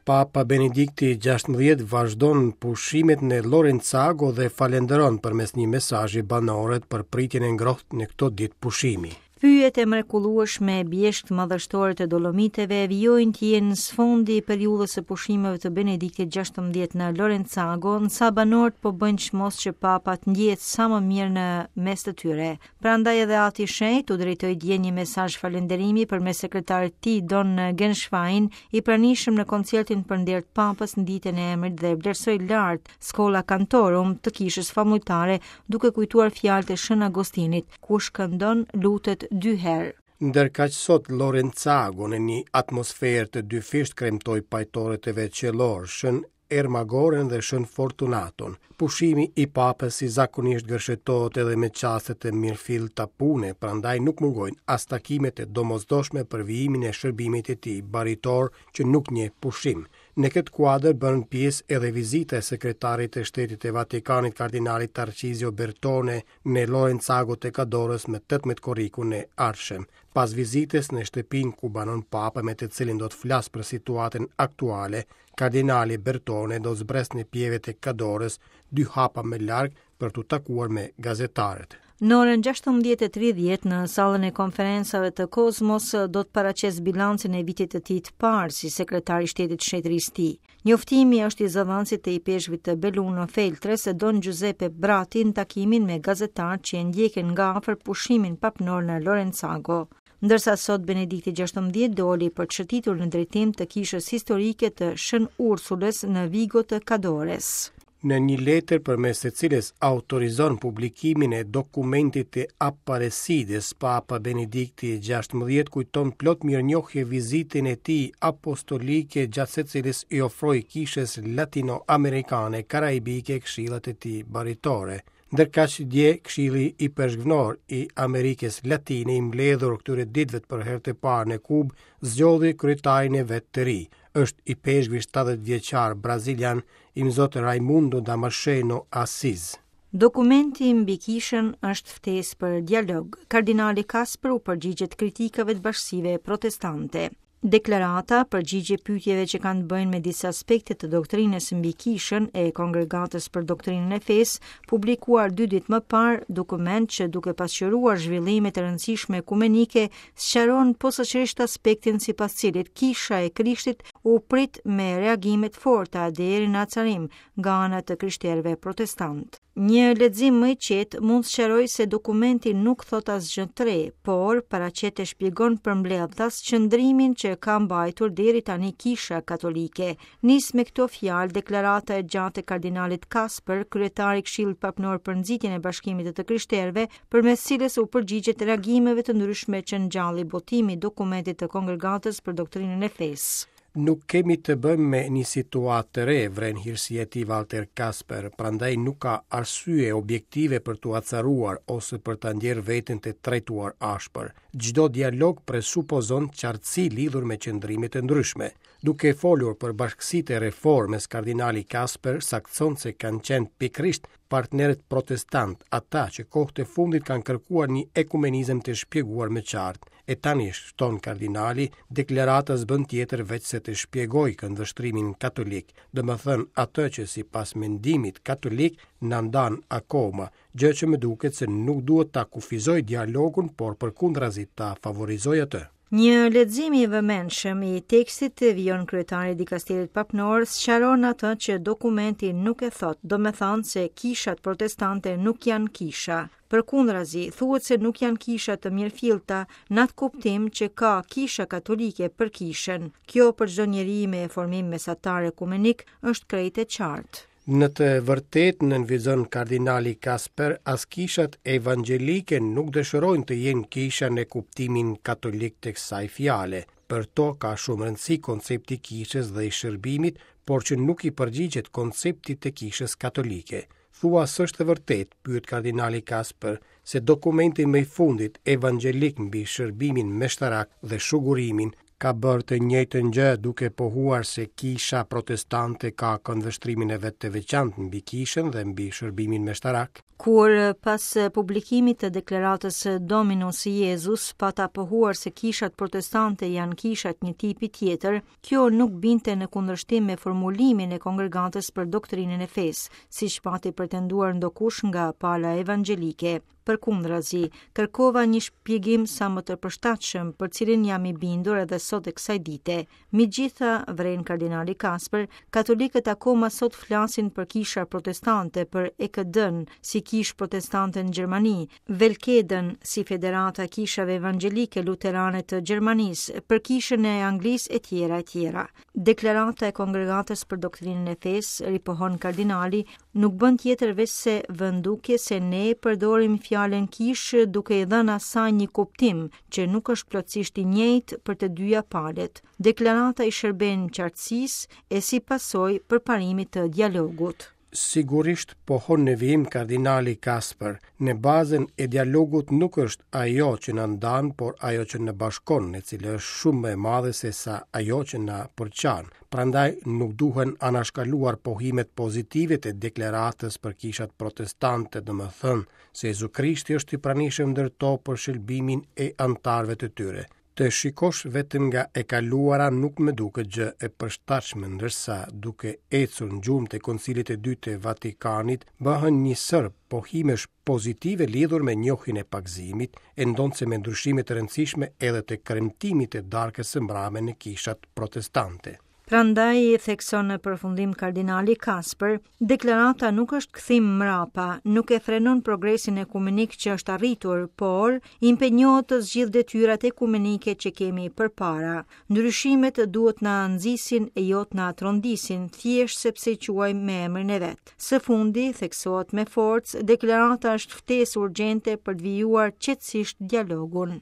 Papa Benedikti 16 vazhdon pushimet në Lorenzago dhe falënderon përmes një mesazhi banorët për pritjen e ngrohtë në këto ditë pushimi. Pyjet e mrekullueshme e bjeshkët madhështore të Dolomiteve vijojnë të jenë sfondi i periudhës së pushimeve të Benediktit 16 në Lorenzago, ndërsa banorët po bëjnë çmos që Papa të ndjehet sa më mirë në mes të tyre. Prandaj edhe Ati i Shenjtë u drejtoi dje një mesazh falënderimi përmes sekretarit të tij Don Genswein, i pranishëm në koncertin për nder të Papës në ditën e emrit dhe vlerësoi lart Schola Cantorum të kishës famulltare, duke kujtuar fjalët e Shën Agostinit, Kush këndon, lutet dy herë. Ndërkaq sot Lorenzago në një atmosferë të dyfishtë kremtoi pajtorët e vet qiellorë, Shën Ermagoren dhe Shën Fortunaton. Pushimi i Papës si zakonisht gërshetohet edhe me çaste të mirëfillta pune, prandaj nuk mungojnë as takimet e domosdoshme për vijimin e shërbimit të tij baritor që nuk njeh pushim. Në këtë kuadër bën pjesë edhe vizita e Sekretarit të Shtetit të Vatikanit Kardinalit Tarcizio Bertone në Lorenzago të Kadorës më 18 korrikun e ardhshëm. Pas vizitës në shtëpinë ku banon Papa me të cilin do të flasë për situatën aktuale, kardinali Bertone do të zbresë në Pieve të Kadorës, dy hapa më larg për t'u takuar me gazetarët. Në orën 16:30 në sallën e konferencave të Kozmos do të paraqesë bilancin e vitit të tij të parë si sekretar i shtetit të shenjtërisë së tij. Njoftimi është i zëdhënësit të ipeshkvit të Belluno Feltres, Don Giuseppe Bratti në takimin me gazetarët që e ndjekin nga afër pushimin papnor në Lorenzago. Ndërsa sot Benedikti 16 doli për të shëtitur në drejtim të kishës historike të Shën Ursulës në Vigo të Kadores. Në një letër përmes së cilës autorizon publikimin e dokumentit të Aparecides, Papa Benedikti XVI kujton plot mirënjohje vizitën e tij apostolike gjatë së cilës i ofroi kishës latino-amerikane karaibike këshillat e tij baritore. Ndërkaq dje Këshilli Ipeshkvnor i Amerikës Latine i mbledhur këtyre ditëve për herë të parë në Kubë zgjodhi kryetarin e vet të ri. Është ipeshkvi 70 vjeçar brazilian Imzot Raimundo Damasceno Assis. Dokumenti mbi kishën është ftesë për dialog. Kardinali Kasper u përgjigjet kritikave të bashkësive protestante. Deklarata, përgjigje pyetjeve që kanë të bëjnë me disa aspekte të doktrinës mbi kishën e Kongregatës për Doktrinën e Fesë, publikuar dy ditë më parë, dokument që duke pasqyruar zhvillimet e rëndësishme ekumenike, sqaron posaçërisht aspektin sipas cilit Kisha e Krishtit u prit me reagime të forta deri në acarim nga ana të krishterëve protestantë. Një lexim më i qetë mund të sqarojë se dokumenti nuk thotë asgjë të re, por paraqet e shpjegon përmbledhtas qëndrimin që ka mbajtur deri tani Kisha Katolike. Nis me këto fjalë deklarata e gjatë e kardinalit Kasper, kryetar i Këshillit Papnor për nxitjen e bashkimit të të krishterëve, përmes cilës u përgjigjet reagimeve të ndryshme që ngjalli botimi i dokumentit të Kongregatës për Doktrinën e Fesë. Nuk kemi të bëjmë me një situatë të re, vren hirësia e tij Walter Kasper, prandaj nuk ka arsye objektive për t'u acaruar ose për ta ndjerë veten të trajtuar ashpër. Çdo dialog presupozon qartësi lidhur me qëndrimet e ndryshme. Duke folur për bashkësitë e reformës, kardinali Kasper saktëson se kanë qenë pikërisht partnerët protestantë ata që kohët e fundit kanë kërkuar një ekumenizëm të shpjeguar më qartë. E tani, shton kardinali, deklarata s'bën tjetër veçse të shpjegojë këndvështrimin katolik, domethënë atë që sipas mendimit katolik na ndan akoma, gjë që më duket se nuk duhet ta kufizojë dialogun, por përkundrazi ta favorizojë atë. Një lexim i vëmendshëm i tekstit, vijon kryetari i dikasterit papnor, sqaron atë që dokumenti nuk e thotë, domethënë se kishat protestante nuk janë kisha. Përkundrazi, thuhet se nuk janë kisha të mirëfillta në atë kuptim që ka kisha katolike për kishën. Kjo për çdo njeri me formim mesatar ekumenik është krejt e qartë. Në të vërtetë, nënvizon kardinali Kasper, as kishat evangjelike nuk dëshirojnë të jenë kisha në kuptimin katolik të kësaj fjale. Për to ka shumë rëndësi koncepti i kishës dhe i shërbimit, por që nuk i përgjigjet konceptit të kishës katolike. Thua s'është e vërtetë, pyet kardinali Kasper, se dokumenti më i fundit evangjelik mbi shërbimin meshtarak dhe shugurimin ka bërë të njëjtën gjë duke pohuar se kisha protestante ka këndvështrimin e vet të veçantë mbi kishën dhe mbi shërbimin meshtarak? Kur pas publikimit të deklaratës Dominus Iesus pata pohuar se kishat protestante janë kisha të një tipi tjetër, kjo nuk binte në kundërshtim me formulimin e Kongregatës për Doktrinën e Fesë, siç pati pretenduar ndokush nga pala evangjelike. Përkundrazi, kërkova një shpjegim sa më të përshtatshëm, për cilin jam i bindur edhe sot e kësaj dite. Megjithatë, vren kardinali Kasper, katolikët akoma sot flasin për kisha protestante, për EKD-n si kishë protestante në Gjermani, Velkeden si Federata e Kishave Evangjelike Luterane të Gjermanisë, për Kishën e Anglisë etj etj. Deklarata e Kongregatës për Doktrinën e Fesë, ripohon kardinali, nuk bën tjetër veçse vë në dukje se ne përdorim fjalën kishë duke i dhënë asaj një kuptim që nuk është plotësisht i njëjtë për të dyja palët. Deklarata i shërben qartësisë e si pasojë përparimit të dialogut. Sigurisht, pohon në vijim kardinali Kasper, në bazën e dialogut nuk është ajo që na ndan, por ajo që na bashkon, e cila është shumë më e madhe se sa ajo që na përçan. Prandaj nuk duhen anashkaluar pohimet pozitive të deklaratës për kishat protestante, domethënë se Jezu Krishti është i pranishëm ndër to për shëlbimin e anëtarëve të tyre. Të shikosh vetëm nga e kaluara nuk më duket gjë e përshtatshme, ndërsa duke ecur në gjurmët e Koncilit të Dytë të Vatikanit bëhen një sërë pohimesh pozitive lidhur me njohjen e pagëzimit, e ndonëse me ndryshime të rëndësishme edhe të kremtimit të darkës së mbrame në kishat protestante. Prandaj, thekson në përfundim kardinali Kasper, deklarata nuk është kthim mrapa, nuk e frenon progresin ekumenik që është arritur, por impenjohet të zgjidhë detyrat ekumenike që kemi përpara. Ndryshimet duhet na nxisin e jo të na trondisin, thjesht sepse i quajmë me emrin e vet. Së fundi, theksohet me forcë, deklarata është ftesë urgjente për të vijuar qetësisht dialogun.